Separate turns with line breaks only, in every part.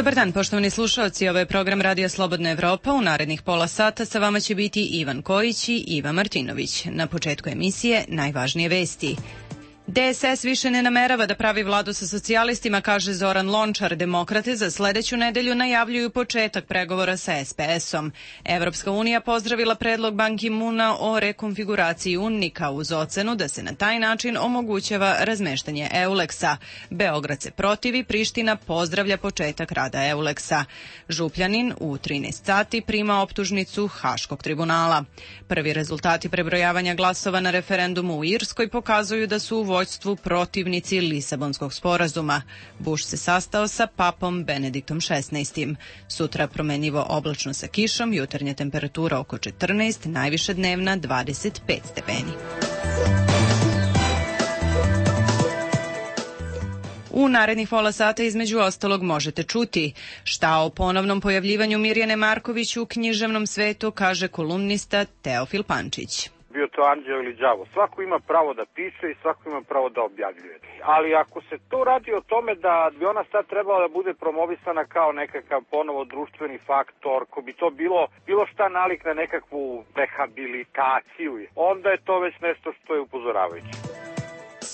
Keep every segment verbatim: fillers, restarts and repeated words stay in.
Dobar dan, poštovani slušaoci, ovo je program Radio Slobodna Evropa. U narednih pola sata sa vama će biti Ivan Kojić i Iva Martinović. Na početku emisije najvažnije vesti. D S S više ne namerava da pravi vladu sa socijalistima, kaže Zoran Lončar. Demokrate za sledeću nedelju najavljuju početak pregovora sa S P S-om. Evropska unija pozdravila predlog Ban Ki-muna o rekonfiguraciji UNMIK-a uz ocenu da se na taj način omogućava razmeštanje Euleksa. Beograd se protivi, Priština pozdravlja početak rada Euleksa. Župljanin u trinaest sati prima optužnicu Haškog tribunala. Prvi rezultati prebrojavanja glasova na referendumu u Irskoj pokazuju da su u vođstvu protivnici Lisabonskog sporazuma. Bush se sastao sa papom Benediktom šesnaestim. Sutra promenljivo oblačno sa kišom, jutarnja temperatura oko četrnaest, najviša dnevna dvadeset pet stepeni. U narednih pola sata između ostalog možete čuti šta o ponovnom pojavljivanju Mirjane Marković u književnom svetu kaže kolumnista Teofil Pančić.
Bio to anđeo ili đavo. Svako ima pravo da piše i svako ima pravo da objavljuje. Ali ako se to radi o tome da bi ona sad trebala da bude promovisana kao nekakav ponovo društveni faktor, ko bi to bilo, bilo šta nalik na nekakvu rehabilitaciju, onda je to već nešto što je upozoravajuće.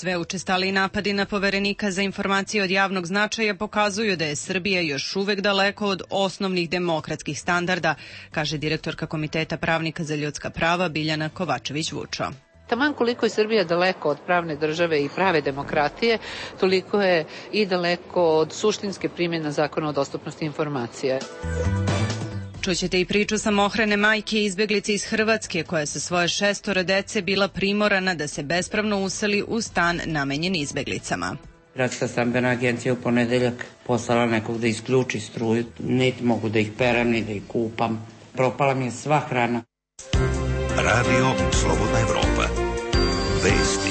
Sve učestaliji napadi na Poverenika za informacije od javnog značaja pokazuju da je Srbija još uvek daleko od osnovnih demokratskih standarda, kaže direktorka Komiteta pravnika za ljudska prava Biljana Kovačević-Vučo.
Taman koliko je Srbija daleko od pravne države i prave demokratije, toliko je i daleko od suštinske primjene zakona o dostupnosti informacija.
Čućete i priču samohrane majke i izbeglice iz Hrvatske koja sa svoje šestoro dece bila primorana da se bespravno useli u stan namenjen izbeglicama.
Gradska stambena agencija u ponedeljak poslala nekog da isključi struju, niti mogu da ih perem, ni da ih kupam. Propala mi je sva hrana.
Radio Slobodna Evropa. Vesti.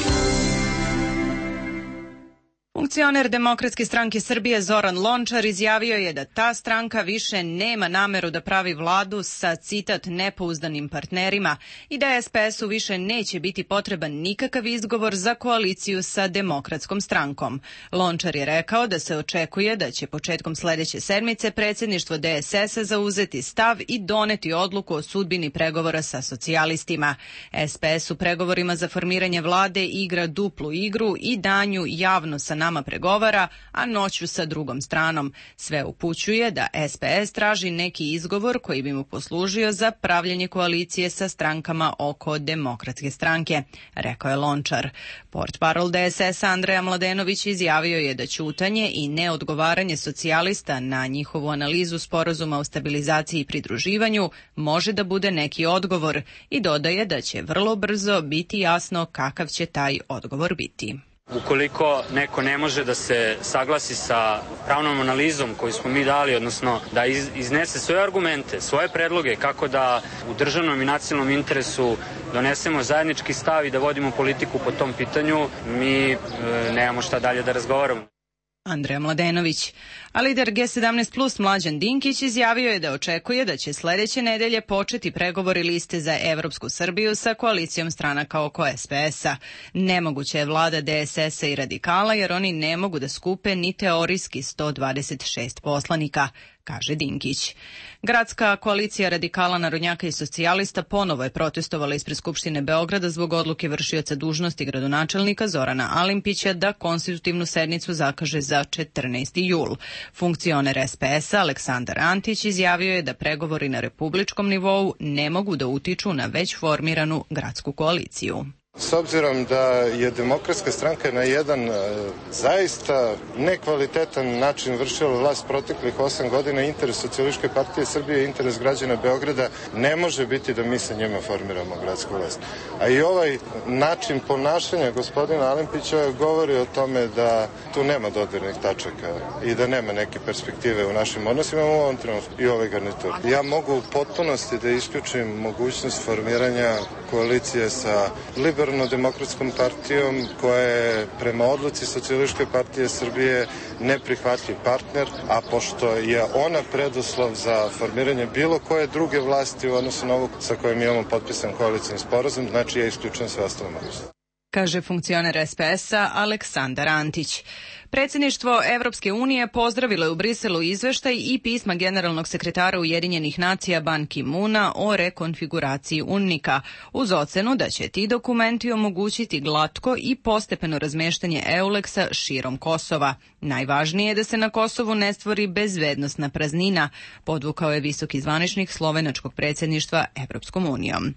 Funkcioner Demokratske stranke Srbije Zoran Lončar izjavio je da ta stranka više nema nameru da pravi vladu sa, citat, nepouzdanim partnerima i da S P S-u više neće biti potreban nikakav izgovor za koaliciju sa Demokratskom strankom. Lončar je rekao da se očekuje da će početkom sledeće sedmice predsjedništvo D S S-a zauzeti stav i doneti odluku o sudbini pregovora sa socijalistima. S P S u pregovorima za formiranje vlade igra duplu igru i danju javno sa nama pregovara, a noću sa drugom stranom. Sve upućuje da S P S traži neki izgovor koji bi mu poslužio za pravljenje koalicije sa strankama oko Demokratske stranke, rekao je Lončar. Portparol D S S-a Andreja Mladenović izjavio je da ćutanje i neodgovaranje socijalista na njihovu analizu sporazuma o stabilizaciji i pridruživanju može da bude neki odgovor i dodaje da će vrlo brzo biti jasno kakav će taj odgovor biti.
Ukoliko neko ne može da se saglasi sa pravnom analizom koju smo mi dali, odnosno da iznese svoje argumente, svoje predloge kako da u državnom i nacionalnom interesu donesemo zajednički stav i da vodimo politiku po tom pitanju, mi e, nemamo šta dalje da razgovaramo.
Andreja Mladenović. A lider G sedamnaest plus Mlađan Dinkić izjavio je da očekuje da će sledeće nedelje početi pregovori liste za Evropsku Srbiju sa koalicijom stranaka oko S P S-a. Nemoguće je vlada D S S-a i radikala jer oni ne mogu da skupe ni teorijski sto dvadeset šest poslanika, kaže Dinkić. Gradska koalicija radikala, narodnjaka i socijalista ponovo je protestovala ispred Skupštine Beograda zbog odluke vršioca dužnosti gradonačelnika Zorana Alimpića da konstitutivnu sednicu zakaže za četrnaesti jul. Funkcioner S P S-a Aleksandar Antić izjavio je da pregovori na republičkom nivou ne mogu da utiču na već formiranu gradsku koaliciju.
S obzirom da je Demokratska stranka na jedan e, zaista nekvalitetan način vršila vlast proteklih osam godina, interes Socijalističke partije Srbije i interes građana Beograda ne može biti da mi sa njima formiramo gradsku vlast. A i ovaj način ponašanja gospodina Alimpića govori o tome da tu nema dodirnih tačaka i da nema neke perspektive u našim odnosima u ovom trenutku i ove garniture. Ja mogu u potpunosti da isključim mogućnost formiranja koalicije sa Liberalno-demokratskom partijom koja je prema odluci Socijalističke partije Srbije neprihvatljiv partner, a pošto je ona preduslov za formiranje bilo koje druge vlasti u odnosu na ovu sa kojom imamo potpisan koalicijni sporazum, znači ja isključujem sve ostale mogućnosti.
Kaže funkcioner S P S-a Aleksandar Antić. Predsjedništvo Evropske unije pozdravilo je u Briselu izveštaj i pisma generalnog sekretara Ujedinjenih nacija Ban Ki-moona o rekonfiguraciji UNMIK-a, uz ocenu da će ti dokumenti omogućiti glatko i postepeno razmeštanje EULEX-a širom Kosova. Najvažnije je da se na Kosovu ne stvori bezbednosna praznina, podvukao je visoki zvaničnik slovenačkog predsjedništva Evropskom unijom.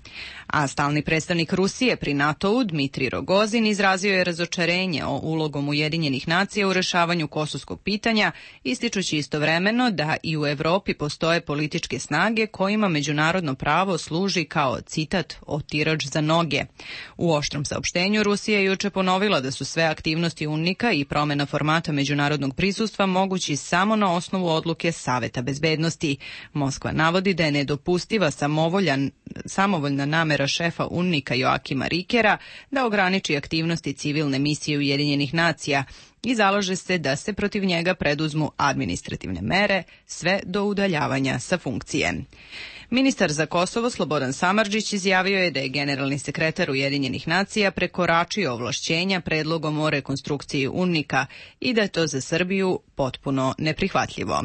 A stalni predstavnik Rusije pri NATO-u Dmitrij Rogozin izrazio je razočarenje o ulogom Ujedinjenih nacija u rešavanju kosovskog pitanja, ističući istovremeno da i u Evropi postoje političke snage kojima međunarodno pravo služi kao, citat, otirač za noge. U oštrom saopštenju Rusija je juče ponovila da su sve aktivnosti UNMIK-a i promjena formata međunarodnog prisustva mogući samo na osnovu odluke Saveta bezbednosti. Moskva navodi da je nedopustiva samovoljan, samovoljna namera šefa UNMIK-a Joakima Rikera da ograniči aktivnosti civilne misije Ujedinjenih nacija i zalaže se da se protiv njega preduzmu administrativne mere, sve do udaljavanja sa funkcije. Ministar za Kosovo Slobodan Samardžić izjavio je da je generalni sekretar Ujedinjenih nacija prekoračio ovlašćenja predlogom o rekonstrukciji UNMIK-a i da je to za Srbiju potpuno neprihvatljivo.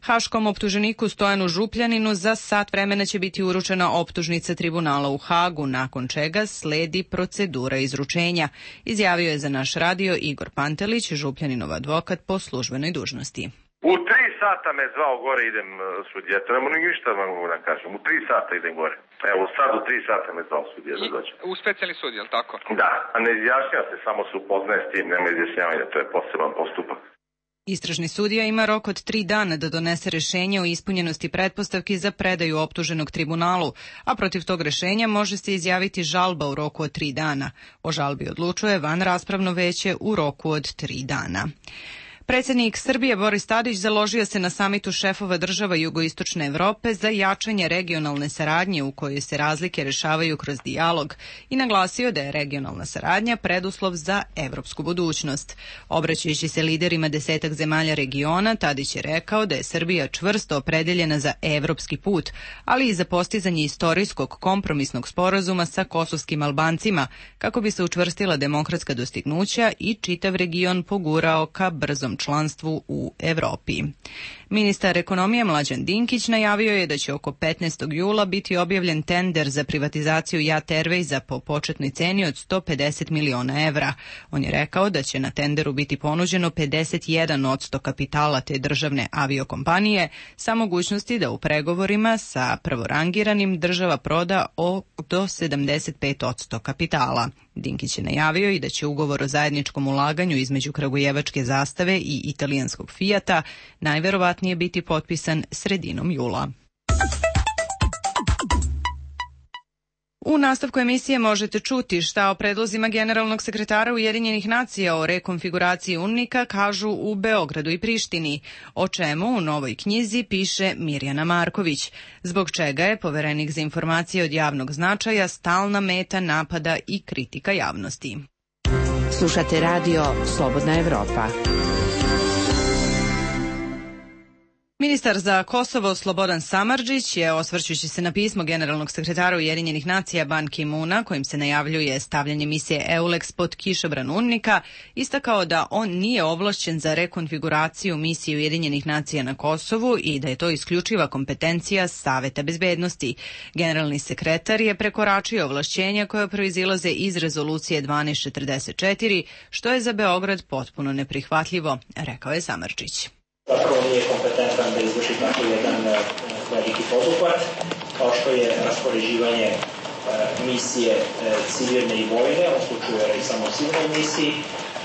Haškom optuženiku Stojanu Župljaninu za sat vremena će biti uručena optužnica tribunala u Hagu, nakon čega sledi procedura izručenja, izjavio je za naš radio Igor Pantelić, Župljaninov advokat po službenoj dužnosti.
U tri sata me zvao gore, idem sudija, to ne mogu ništa mogu da kažem, u tri sata idem gore. Evo sad u tri sata me zvao sudija da dođe.
U specijalni sud, je li tako?
Da, a ne izjašnjava se, samo se upoznaje s tim, nema izjašnjavanja, to je poseban postupak.
Istražni sudija ima rok od tri dana da donese rešenje o ispunjenosti pretpostavki za predaju optuženog tribunalu, a protiv tog rešenja može se izjaviti žalba u roku od tri dana. O žalbi odlučuje vanraspravno veće u roku od tri dana. Predsjednik Srbije Boris Tadić založio se na samitu šefova država jugoistočne Evrope za jačanje regionalne saradnje u kojoj se razlike rešavaju kroz dijalog i naglasio da je regionalna saradnja preduslov za evropsku budućnost. Obraćajući se liderima desetak zemalja regiona, Tadić je rekao da je Srbija čvrsto opredeljena za evropski put, ali i za postizanje istorijskog kompromisnog sporazuma sa kosovskim Albancima, kako bi se učvrstila demokratska dostignuća i čitav region pogurao ka brzom članstvu u Evropi. Ministar ekonomije Mlađan Dinkić najavio je da će oko petnaestog jula biti objavljen tender za privatizaciju JAT Airwaysa po početnoj ceni od sto pedeset miliona evra. On je rekao da će na tenderu biti ponuđeno pedeset jedan posto kapitala te državne aviokompanije sa mogućnosti da u pregovorima sa prvorangiranim država proda do sedamdeset pet posto kapitala. Dinkić je najavio i da će ugovor o zajedničkom ulaganju između kragujevačke Zastave i italijanskog Fijata najverovatnije biti potpisan sredinom jula. U nastavku emisije možete čuti šta o predlozima generalnog sekretara Ujedinjenih nacija o rekonfiguraciji UNMIK-a kažu u Beogradu i Prištini, o čemu u novoj knjizi piše Mirjana Marković, zbog čega je poverenik za informacije od javnog značaja stalna meta napada i kritika javnosti.
Slušate radio Slobodna Evropa.
Ministar za Kosovo Slobodan Samardžić je, osvrćući se na pismo generalnog sekretara Ujedinjenih nacija Ban Ki-moona, kojim se najavljuje stavljanje misije EULEX pod kišobran UNMIK-a, istakao da on nije ovlašćen za rekonfiguraciju misije Ujedinjenih nacija na Kosovu i da je to isključiva kompetencija Saveta bezbednosti. Generalni sekretar je prekoračio ovlašćenja koja proizilaze iz rezolucije dvanaest četrdeset četiri, što je za Beograd potpuno neprihvatljivo, rekao je Samardžić.
Zapravo nije kompetentan da izvrši tako jedan veliki poduhvat, kao što je raspoređivanje misije civilne i vojne, u slučaju je samo civilnoj misiji,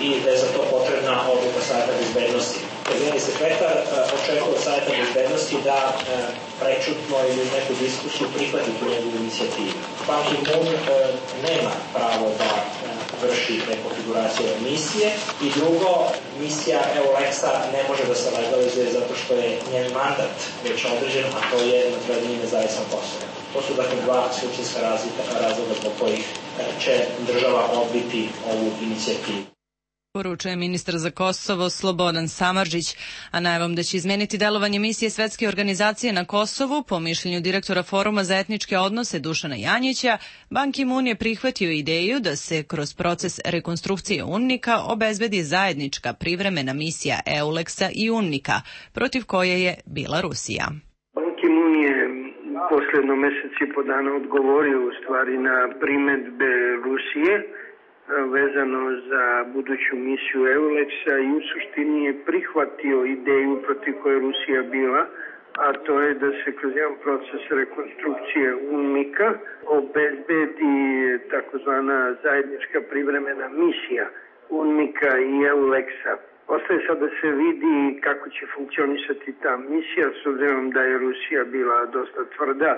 i da je za to potrebna odluka Saveta bezbednosti. Generalni sekretar očekuje od Saveta bezbednosti da prečutno ili neku diskusiju prihvati tu njegovu inicijativu. Ban Ki-moon nema pravo da vrši rekonfiguraciju misije i drugo, misija EULEX-a ne može da se legalizuje zato što je njen mandat već određen, a to je nadgradnje nezavisno Kosovo. To su dakle dva suštinska razloga zbog kojih će država odbiti ovu inicijativu.
Poručuje ministar za Kosovo Slobodan Samardžić, a najavom da će izmeniti delovanje misije Svetske organizacije na Kosovu, po mišljenju direktora Foruma za etničke odnose Dušana Janjića, Ban Ki-moon je prihvatio ideju da se kroz proces rekonstrukcije UNMIK-a obezbedi zajednička privremena misija EULEX-a i UNMIK-a, protiv koje je bila Rusija.
Ban Ki-moon je posledno mesec i po dana odgovorio u stvari na primedbe Rusije vezano za buduću misiju EULEX-a i u suštini je prihvatio ideju protiv koje Rusija bila, a to je da se kroz jedan proces rekonstrukcije UNMIK-a obezbedi takozvana zajednička privremena misija UNMIK-a i EULEX-a. Ostaje sad da se vidi kako će funkcionisati ta misija, s obzirom da je Rusija bila dosta tvrda,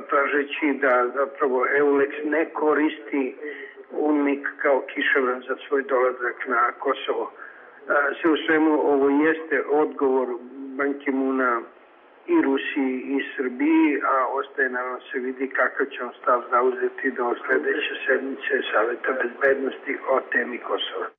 tražeći da zapravo EULEX ne koristi UNMIK kao kišobran za svoj dolazak na Kosovo. Sve u svemu ovo jeste odgovor Ban Ki-moona i Rusiji i Srbiji, a ostaje naravno se vidi kakav će on stav zauzeti do sledeće sedmice Saveta bezbednosti o temi Kosova.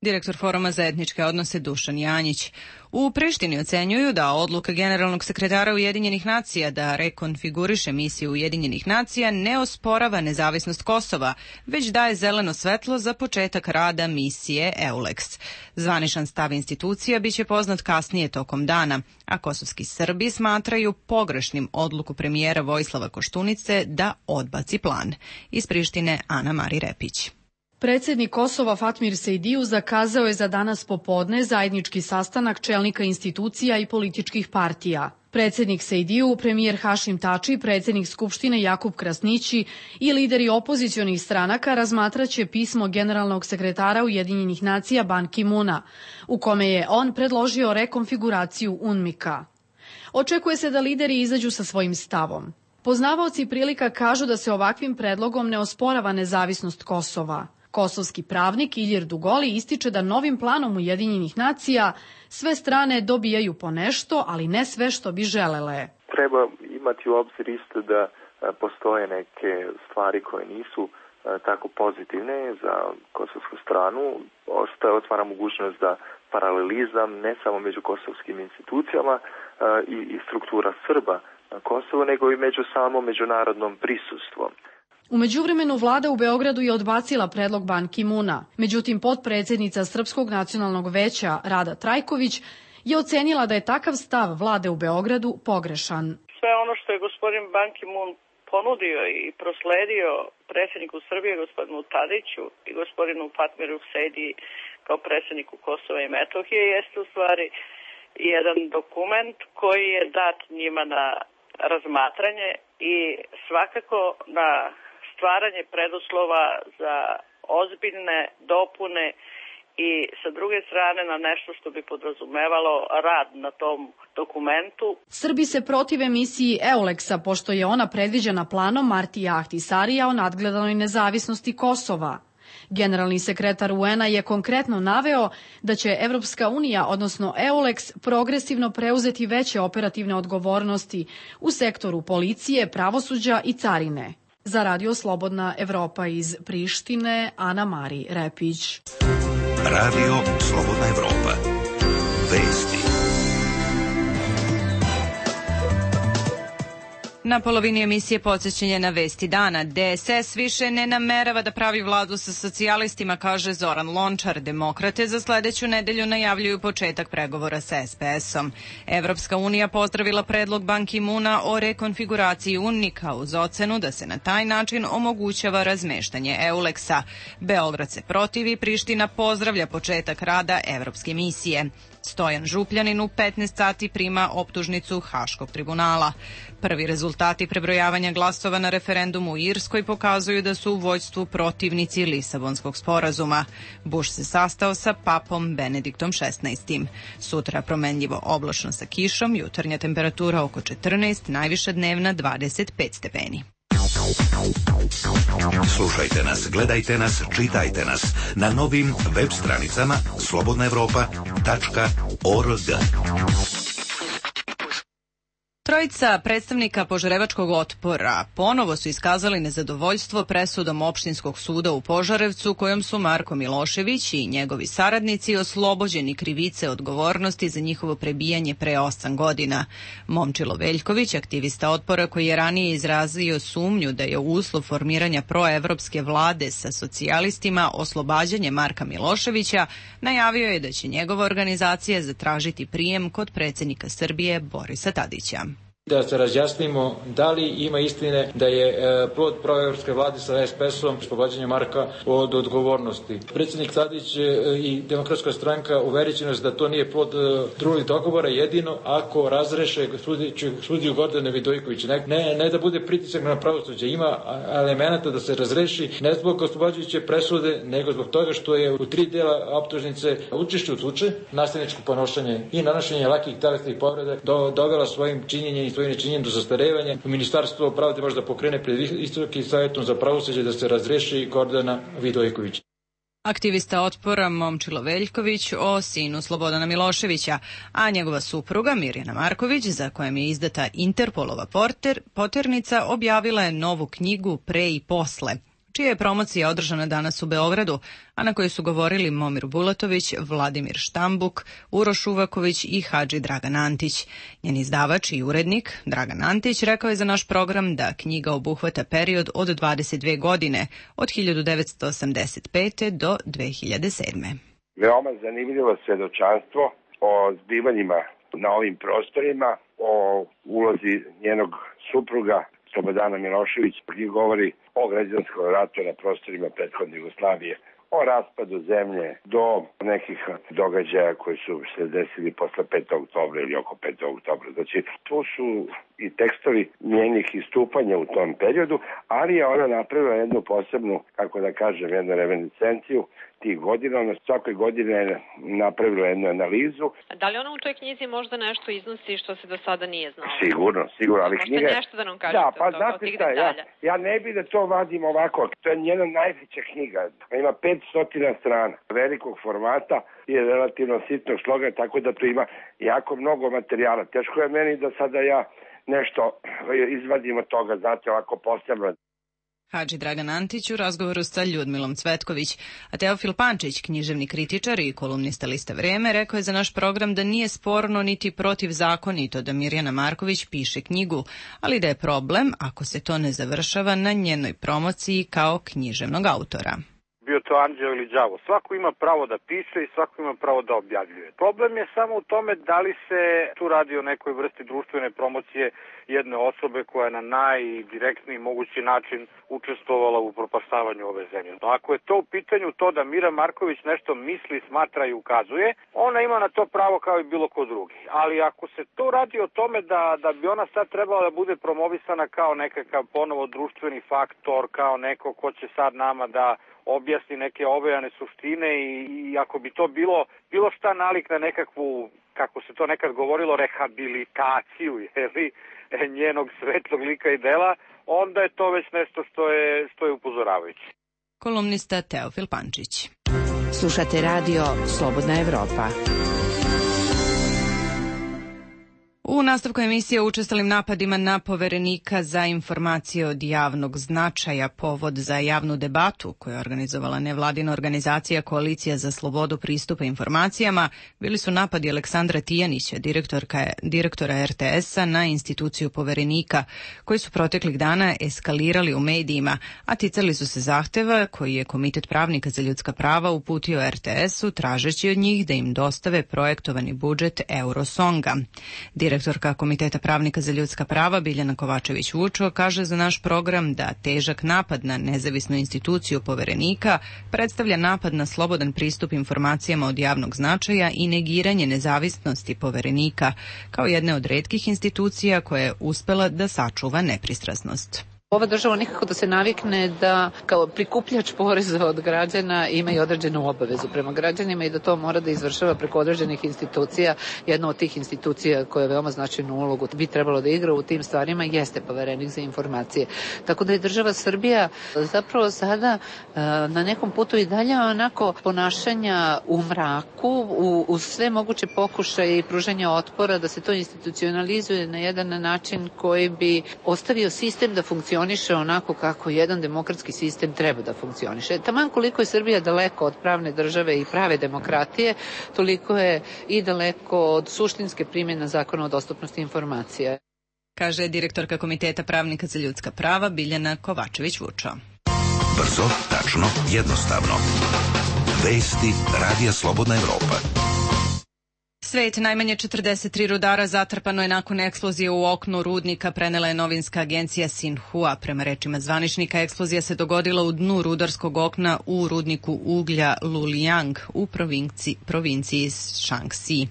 Direktor Foruma za etničke odnose Dušan Janjić. U Prištini ocenjuju da odluka generalnog sekretara Ujedinjenih nacija da rekonfiguriše misiju Ujedinjenih nacija ne osporava nezavisnost Kosova, već daje zeleno svetlo za početak rada misije EULEX. Zvaničan stav institucija biće poznat kasnije tokom dana, a kosovski Srbi smatraju pogrešnim odluku premijera Vojislava Koštunice da odbaci plan. Iz Prištine Ana Mari Repić.
Predsednik Kosova Fatmir Sejdiju zakazao je za danas popodne zajednički sastanak čelnika institucija i političkih partija. Predsednik Sejdiju, premijer Hašim Tači, predsednik Skupštine Jakub Krasnići i lideri opozicionih stranaka razmatraće pismo generalnog sekretara Ujedinjenih nacija Ban Ki-moona, u kome je on predložio rekonfiguraciju UNMIK-a. Očekuje se da lideri izađu sa svojim stavom. Poznavaoci prilika kažu da se ovakvim predlogom ne osporava nezavisnost Kosova. Kosovski pravnik Ilir Dugoli ističe da novim planom Ujedinjenih nacija sve strane dobijaju po nešto, ali ne sve što bi želele.
Treba imati u obzir isto da postoje neke stvari koje nisu tako pozitivne za kosovsku stranu. Ostaje otvara mogućnost da paralelizam ne samo među kosovskim institucijama i struktura Srba na Kosovo, nego i među samo međunarodnom prisustvom.
U međuvremenu vlada u Beogradu je odbacila predlog Ban Ki-moona. Međutim, potpredsednica Srpskog nacionalnog veća Rada Trajković je ocenila da je takav stav vlade u Beogradu pogrešan.
Sve ono što je gospodin Ban Ki-moon ponudio i prosledio predsjedniku Srbije, gospodinu Tadiću i gospodinu Fatmiru Sejdiji kao predsjedniku Kosova i Metohije, jeste u stvari jedan dokument koji je dat njima na razmatranje i svakako na stvaranje preduslova za ozbiljne dopune i sa druge strane na nešto što bi podrazumevalo rad na tom dokumentu.
Srbi se protive misiji EULEX-a pošto je ona predviđena planom Martija Ahtisarija o nadgledanoj nezavisnosti Kosova. Generalni sekretar U N-a je konkretno naveo da će Evropska unija, odnosno EULEX, progresivno preuzeti veće operativne odgovornosti u sektoru policije, pravosuđa i carine. Za Radio Slobodna Evropa iz Prištine, Ana Mari Repić.
Radio Slobodna Evropa. Vesti.
Na polovini emisije podsjećanje na vesti dana. D S S više ne namerava da pravi vladu sa socijalistima, kaže Zoran Lončar. Demokrate za sledeću nedelju najavljuju početak pregovora sa S P S-om. Evropska unija pozdravila predlog Ban Ki-moona o rekonfiguraciji UNMIK-a uz ocenu da se na taj način omogućava razmeštanje EULEX-a. Beograd se protivi, Priština pozdravlja početak rada evropske misije. Stojan Župljanin u petnaest sati prima optužnicu Haškog tribunala. Prvi rezultati prebrojavanja glasova na referendumu u Irskoj pokazuju da su u vođstvu protivnici Lisabonskog sporazuma. Bush se sastao sa papom Benediktom šesnaestim. Sutra promenljivo oblačno sa kišom, jutarnja temperatura oko četrnaest, najviša dnevna dvadeset pet stepeni.
Slušajte nas, gledajte nas, čitajte nas na novim web stranicama slobodnaevropa tačka org.
Trojica predstavnika Požarevačkog otpora ponovo su iskazali nezadovoljstvo presudom opštinskog suda u Požarevcu kojom su Marko Milošević i njegovi saradnici oslobođeni krivice odgovornosti za njihovo prebijanje pre osam godina. Momčilo Veljković, aktivista otpora koji je ranije izrazio sumnju da je uslov formiranja proevropske vlade sa socijalistima oslobađanje Marka Miloševića, najavio je da će njegova organizacija zatražiti prijem kod predsjednika Srbije Borisa Tadića.
Da se razjasnimo da li ima istine da je e, plod proevropske vlade sa es pe esom oslobađanje Marka od odgovornosti. Predsjednik Tadić e, i Demokratska stranka uverit će nas da to nije plod e, trulih dogovora jedino ako razreše sudiju Gordana Vidojkovića. Ne, ne, ne da bude pritisak na pravosuđe. Ima elemenata da se razreši ne zbog oslobađajuće presude, nego zbog toga što je u tri dela optužnice učešće u slučaj, nasilničko ponošenje i nanošenje lakih telesnih povreda do, dovela svojim činjenjem i svojim nečinjenjem do zastarevanja. Ministarstvo pravde može da pokrene pred Visokim savjetom za pravosuđe da se razreši Gordana Vidojkovića.
Aktivista otpora Momčilo Veljković o sinu Slobodana Miloševića, a njegova supruga Mirjana Marković, za kojem je izdata Interpolova porter, poternica, objavila je novu knjigu Pre i posle, čija je promocija održana danas u Beogradu, a na kojoj su govorili Momir Bulatović, Vladimir Štambuk, Uroš Uvaković i Hadži Dragan Antić. Njen izdavač i urednik, Dragan Antić, rekao je za naš program da knjiga obuhvata period od dvadeset dve godine, od hiljadu devetsto osamdeset pete do dve hiljade sedme.
Veoma zanimljivo svedočanstvo o zbivanjima na ovim prostorima, o ulozi njenog supruga Slobodana Milošević, koji govori o građanskom ratu na prostorima prethodne Jugoslavije, o raspadu zemlje do nekih događaja koji su se desili posle petog oktobra ili oko petog oktobra. Znači, tu su i tekstovi njenih istupanja u tom periodu, ali je ona napravila jednu posebnu, kako da kažem, jednu reminiscenciju tih godina. Ona svakoj godine je napravila jednu analizu.
A da li ona u toj knjizi možda nešto iznosi što se do sada nije znalo?
Sigurno, sigurno. Ali
možda
knjiga...
nešto da nam kažete
da, pa
od toga,
znate šta, ja, ja ne bi da to vadim ovako. To je njena najveća knjiga. Ima petsto strana velikog formata i je relativno sitnog sloga, tako da tu ima jako mnogo materijala. Teško je meni da sada ja nešto izvadim od toga, znate, ovako posebno.
Hadži Dragan Antić u razgovoru sa Ljudmilom Cvetković, a Teofil Pančić, književni kritičar i kolumnista Liste Vreme, rekao je za naš program da nije sporno niti protivzakonito da Mirjana Marković piše knjigu, ali da je problem ako se to ne završava na njenoj promociji kao književnog autora.
Bio to anđeo ili đavo. Svako ima pravo da piše i svako ima pravo da objavljuje. Problem je samo u tome da li se tu radi o nekoj vrsti društvene promocije jedne osobe koja je na najdirektniji mogući način učestvovala u upropaštavanju ove zemlje. Ako je to u pitanju to da Mira Marković nešto misli, smatra i ukazuje, ona ima na to pravo kao i bilo ko drugi. Ali ako se to radi o tome da, da bi ona sad trebala da bude promovisana kao nekakav ponovo društveni faktor, kao neko ko će sad nama da objasni neke obejane suštine i, i ako bi to bilo bilo šta nalik na nekakvu, kako se to nekad govorilo, rehabilitaciju jeli, njenog svetlog lika i dela, onda je to već nešto što je, što je upozoravajuće.
Kolumnista Teofil Pančić.
Slušate radio Slobodna Evropa.
U nastavku emisije o učestalim napadima na Poverenika za informacije od javnog značaja, povod za javnu debatu koju je organizovala nevladina organizacija Koalicija za slobodu pristupa informacijama, bili su napadi Aleksandra Tijanića, direktora er te esa, na instituciju Poverenika, koji su proteklih dana eskalirali u medijima, a ticali su se zahteva koji je Komitet pravnika za ljudska prava uputio er te esu, tražeći od njih da im dostave projektovani budžet Eurosonga. Direktorka Komiteta pravnika za ljudska prava Biljana Kovačević-Vučo kaže za naš program da težak napad na nezavisnu instituciju Poverenika predstavlja napad na slobodan pristup informacijama od javnog značaja i negiranje nezavisnosti Poverenika kao jedne od retkih institucija koja je uspela da sačuva nepristrasnost.
Ova država nikako da se navikne da kao prikupljač poreza od građana ima i određenu obavezu prema građanima i da to mora da izvršava preko određenih institucija. Jedna od tih institucija koja je veoma značajnu ulogu bi trebalo da igra u tim stvarima jeste Poverenik za informacije. Tako da je država Srbija zapravo sada na nekom putu i dalje onako ponašanja u mraku, u, u sve moguće pokušaje i pružanja otpora da se to institucionalizuje na jedan način koji bi ostavio sistem da funkcioniše onako kako jedan demokratski sistem treba da funkcioniše. Taman koliko je Srbija daleko od pravne države i prave demokratije, toliko je i daleko od suštinske primjene zakona o dostupnosti informacija.
Kaže direktorka Komiteta pravnika za ljudska prava Biljana Kovačević-Vučo.
Brzo, tačno, jednostavno. Vesti Radija Slobodna Evropa.
Svet najmanje četrdeset tri rudara zatrpano je nakon eksplozije u oknu rudnika, prenela je novinska agencija Sinhua. Prema rečima zvaničnika, eksplozija se dogodila u dnu rudarskog okna u rudniku uglja Luliang u provinciji, provinciji Shaanxi.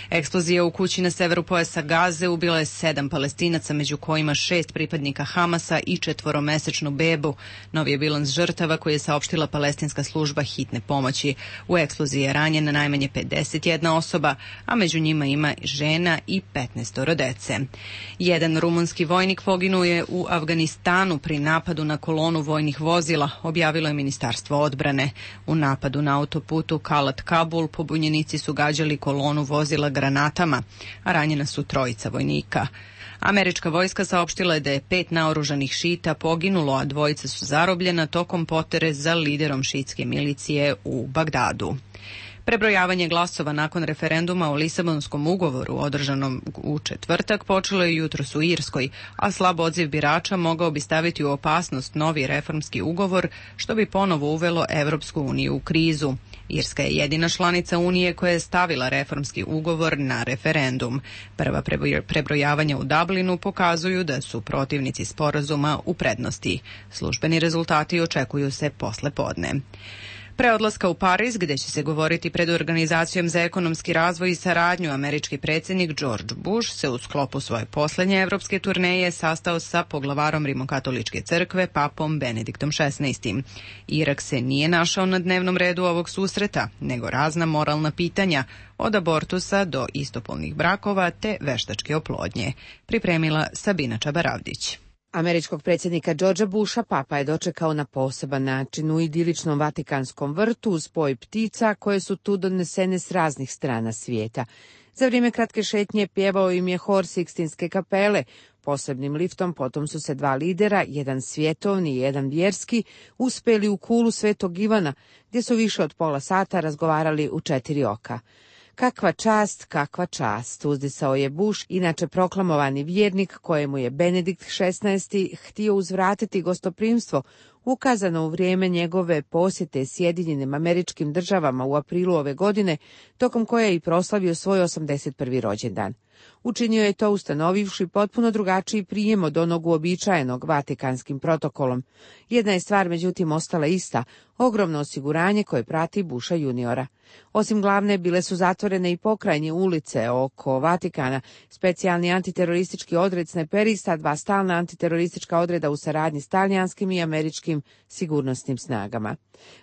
Eksplozija u kući na severu pojasa Gaze ubila je sedam Palestinaca, među kojima šest pripadnika Hamasa i četvoromesečnu bebu. Novi je bilans žrtava koji je saopštila palestinska služba hitne pomoći. U eksploziji je ranjena najmanje pedeset jedna osoba, a među njima ima žena i petnaestoro dece. Jedan rumunski vojnik poginuo je u Afganistanu pri napadu na kolonu vojnih vozila, objavilo je Ministarstvo odbrane. U napadu na autoputu Kalat-Kabul pobunjenici su gađali kolonu vozila granatama, a ranjena su trojica vojnika. Američka vojska saopštila je da je pet naoružanih šita poginulo, a dvojica su zarobljena tokom potere za liderom šitske milicije u Bagdadu. Prebrojavanje glasova nakon referenduma o Lisabonskom ugovoru održanom u četvrtak počelo je jutros u Irskoj, a slab odziv birača mogao bi staviti u opasnost novi reformski ugovor, što bi ponovo uvelo Evropsku uniju u krizu. Irska je jedina članica Unije koja je stavila reformski ugovor na referendum. Prva prebrojavanja u Dublinu pokazuju da su protivnici sporazuma u prednosti. Službeni rezultati očekuju se posle podne. Pre odlaska u Pariz, gde će se govoriti pred Organizacijom za ekonomski razvoj i saradnju, američki predsjednik George Bush se u sklopu svoje poslednje evropske turneje sastao sa poglavarom Rimokatoličke crkve, papom Benediktom šesnaestim. Irak se nije našao na dnevnom redu ovog susreta, nego razna moralna pitanja, od abortusa do istopolnih brakova te veštačke oplodnje. Pripremila Sabina Čabaravdić.
Američkog predsjednika Georgea Busha papa je dočekao na poseban način u idiličnom Vatikanskom vrtu uz spoj ptica koje su tu donesene s raznih strana svijeta. Za vrijeme kratke šetnje pjevao im je hor Sikstinske kapele. Posebnim liftom potom su se dva lidera, jedan svjetovni i jedan vjerski, uspeli u kulu Svetog Ivana, gdje su više od pola sata razgovarali u četiri oka. Kakva čast, kakva čast, uzdisao je Bush, inače proklamovani vjernik kojemu je Benedikt šesnaesti htio uzvratiti gostoprimstvo, ukazano u vrijeme njegove posjete Sjedinjenim Američkim Državama u aprilu ove godine, tokom koje je i proslavio svoj osamdeset prvi rođendan. Učinio je to ustanovivši potpuno drugačiji prijem od onog uobičajenog Vatikanskim protokolom. Jedna je stvar međutim ostala ista, ogromno osiguranje koje prati Busha juniora. Osim glavne, bile su zatvorene i pokrajnje ulice oko Vatikana, specijalni antiteroristički odred sneperista, dva stalna antiteroristička odreda u saradnji s talijanskim i američkim sigurnosnim snagama.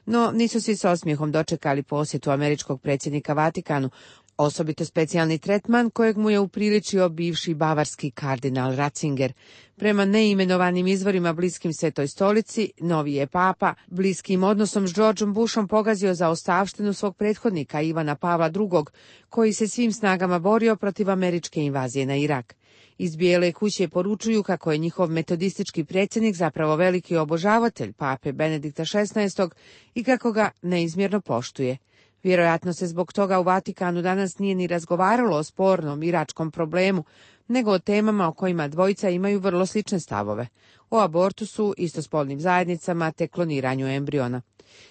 No, nisu svi s osmijehom dočekali posjetu američkog predsjednika Vatikanu, osobito specijalni tretman kojeg mu je upriličio bivši bavarski kardinal Ratzinger. Prema neimenovanim izvorima bliskim Svetoj stolici, novi je papa bliskim odnosom s Georgeom Bushom pogazio za ostavštinu svog prethodnika Ivana Pavla drugog, koji se svim snagama borio protiv američke invazije na Irak. Iz Bijele kuće poručuju kako je njihov metodistički predsjednik zapravo veliki obožavatelj pape Benedikta šesnaestog i kako ga neizmjerno poštuje. Vjerojatno se zbog toga u Vatikanu danas nije ni razgovaralo o spornom iračkom problemu, nego o temama o kojima dvojica imaju vrlo slične stavove, o abortusu, istospolnim zajednicama te kloniranju embriona.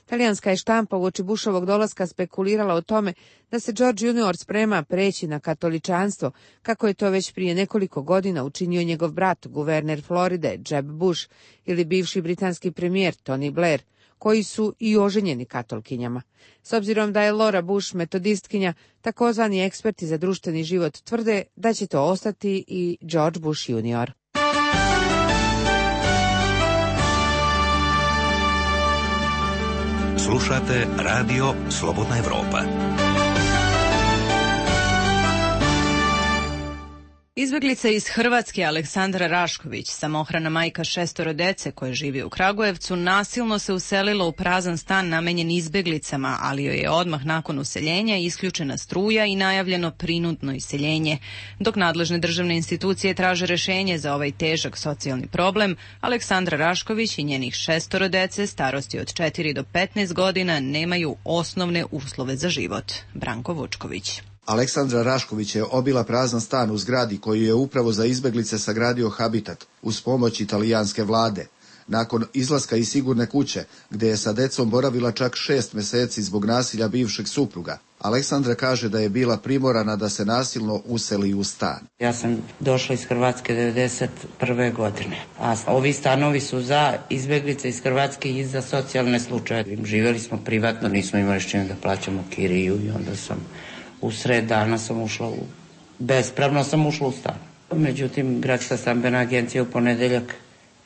Talijanska je štampa uoči Bushovog dolaska spekulirala o tome da se George junior sprema preći na katoličanstvo, kako je to već prije nekoliko godina učinio njegov brat, guverner Floride, Jeb Bush, ili bivši britanski premijer Tony Blair, koji su i oženjeni katolkinjama. S obzirom da je Laura Bush metodistkinja, takozvani eksperti za društveni život tvrde da će to ostati i George Bush junior
Slušate Radio Slobodna Evropa.
Izbeglica iz Hrvatske Aleksandra Rašković, samohrana majka šestoro dece koje živi u Kragujevcu, nasilno se uselila u prazan stan namenjen izbeglicama, ali joj je odmah nakon useljenja isključena struja i najavljeno prinudno iseljenje. Dok nadležne državne institucije traže rešenje za ovaj težak socijalni problem, Aleksandra Rašković i njenih šestoro dece starosti od četiri do petnaest godina nemaju osnovne uslove za život. Branko Vučković.
Aleksandra Rašković je obila prazan stan u zgradi koju je upravo za izbeglice sagradio Habitat uz pomoć italijanske vlade. Nakon izlaska iz sigurne kuće, gde je sa decom boravila čak šest meseci zbog nasilja bivšeg supruga, Aleksandra kaže da je bila primorana da se nasilno useli u stan.
Ja sam došla iz Hrvatske devedeset prve godine, a ovi stanovi su za izbeglice iz Hrvatske i za socijalne slučaje. Živjeli smo privatno, nismo imali s čim da plaćamo kiriju i onda sam u sred dana sam ušla u... bespravno sam ušla u stan. Međutim, Gradska stambena agencija u ponedeljak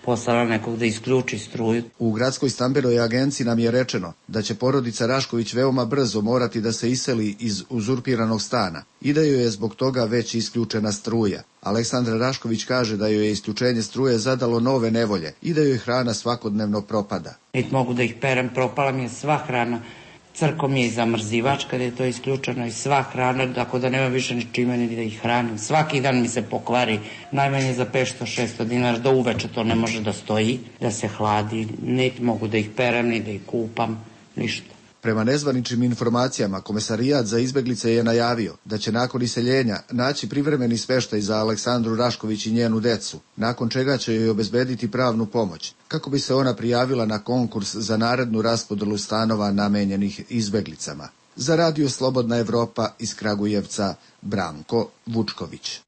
poslala nekog da isključi struju.
U Gradskoj stambenoj agenciji nam je rečeno da će porodica Rašković veoma brzo morati da se iseli iz uzurpiranog stana i da joj je zbog toga već isključena struja. Aleksandra Rašković kaže da joj je isključenje struje zadalo nove nevolje i da joj hrana svakodnevno propada.
Niti mogu da ih perem, propala mi je sva hrana. Crko mi je i zamrzivač kad je to isključeno i sva hrana, tako da nema više ni čime ni da ih hranim. Svaki dan mi se pokvari, najmanje za petsto šesto dinara, do uveče to ne može da stoji, da se hladi, niti mogu da ih perem, ni da ih kupam, ništa.
Prema nezvaničnim informacijama, Komesarijat za izbeglice je najavio da će nakon iseljenja naći privremeni smeštaj za Aleksandru Rašković i njenu decu, nakon čega će joj obezbediti pravnu pomoć, kako bi se ona prijavila na konkurs za narednu raspodelu stanova namenjenih izbeglicama. Za Radio Slobodna Evropa iz Kragujevca, Branko Vučković.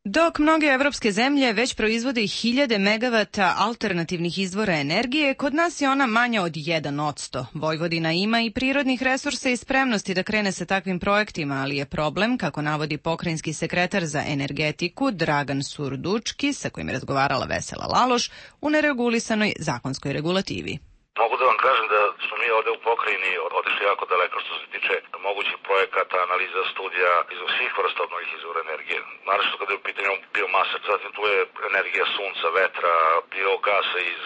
Dok mnoge evropske zemlje već proizvode hiljade megavata alternativnih izvora energije, kod nas je ona manja od jedan odsto. Vojvodina ima i prirodnih resursa i spremnosti da krene sa takvim projektima, ali je problem, kako navodi pokrajinski sekretar za energetiku Dragan Surdučki, sa kojim je razgovarala Vesela Laloš, u neregulisanoj zakonskoj regulativi.
Mogu da vam kažem da smo mi ovde u pokrajini otišli jako daleko što se tiče mogućih projekata, analiza, studija iz svih vrsta obnovljivih izvora energije. Naravno kada je u pitanju biomasa, zatim tu je energija sunca, vetra, biogasa iz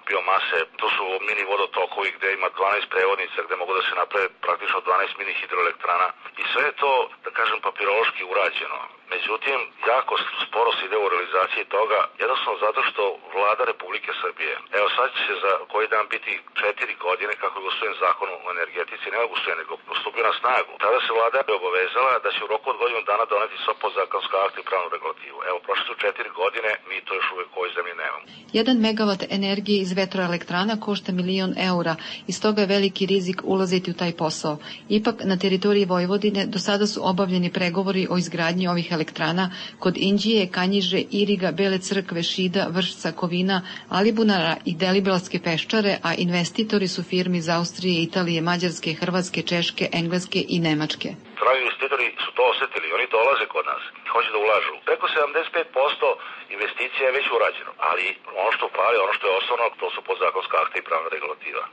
biomase, to su mini vodotokovi gde ima dvanaest prevodnica gde mogu da se naprave praktično dvanaest mini hidroelektrana i sve je to, da kažem, papirološki urađeno. Međutim, jako sporo se ide u realizaciji toga, jednostavno zato što vlada Republike Srbije, evo sad će se za koji dan biti četiri godine kako je usvojen zakon o energetici, ne usvojen, nego postupio na snagu. Tada se vlada je obavezala da će u roku od godinu dana doneti sva podzakonska akta i pravnu regulativu. Evo, prošle su četiri godine, mi to još uvek u ovoj zemlji nemamo.
Jedan megavat energije iz vetroelektrana košta milion eura i stoga je veliki rizik ulaziti u taj posao. Ipak, na teritoriji Vojvodine do sada su obavljeni pregovori o izgradnji ovih elektrana kod Inđije, Kanjiže, Iriga, Bele Crkve, Šida, Vršca, Kovina, Alibunara i Deliblatske peščare, a investitori su firme iz Austrije, Italije, Mađarske, Hrvatske, Češke, Engleske i Nemačke.
Pravi investitori su to osetili, oni dolaze kod nas i hoće da ulažu. Preko sedamdeset pet posto investicija je već urađeno, ali ono što fali, ono što je osnovno, to su podzakonska akta i pravna regulativa.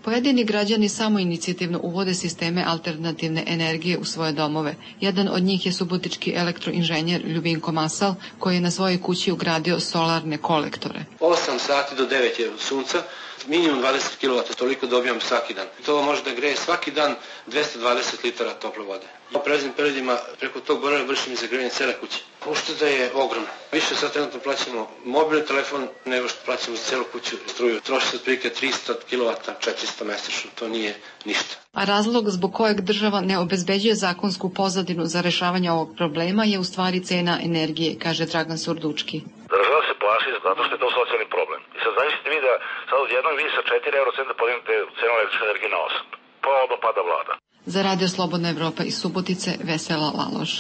Pojedini građani samo inicijativno uvode sisteme alternativne energije u svoje domove. Jedan od njih je subotički elektroinženjer Ljubinko Masal, koji je na svojoj kući ugradio solarne kolektore.
osam sati do devet je sunca, minimum dvadeset kilovata, toliko dobijam svaki dan. To može da greje svaki dan dvesta dvadeset litara tople vode. U prelaznim periodima preko tog borava vršim i zagrevanje cele kuće. Ušteda je ogromna. Više sad trenutno plaćamo mobilni telefon nego što plaćamo za celu kuću struju. Troši se otprilike tristo kilovata, četiristo mesečno. To nije ništa.
A razlog zbog kojeg država ne obezbeđuje zakonsku pozadinu za rešavanje ovog problema je u stvari cena energije, kaže Dragan Surdučki.
Država se plaši zato što je to socijalni problem. I sad zamislite vi da sad odjednom vi sa četiri eurocenta podignete cenu električne energije na osam. Pa onda pada vlada.
Za Radio Slobodna Evropa iz Subotice, Vesela Laloš.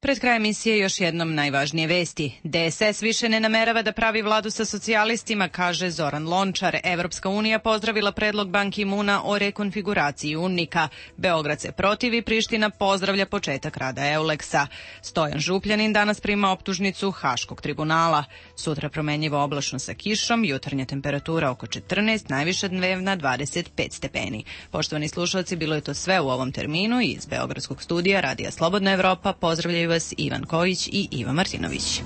Pred kraj emisije još jednom najvažnije vesti. D S S više ne namerava da pravi vladu sa socijalistima, kaže Zoran Lončar. Evropska unija pozdravila predlog Ban Ki-muna o rekonfiguraciji UNMIK-a. Beograd se protivi, Priština pozdravlja početak rada Euleksa. Stojan Župljanin danas prima optužnicu Haškog tribunala. Sutra promenljivo oblačno sa kišom, jutarnja temperatura oko četrnaest, najviša dnevna dvadeset pet stepeni. Poštovani slušalci, bilo je to sve u ovom terminu i iz Beogradskog studija Radija Slobodna Evropa pozdravljaju vas Ivan Kojić i Iva Martinović.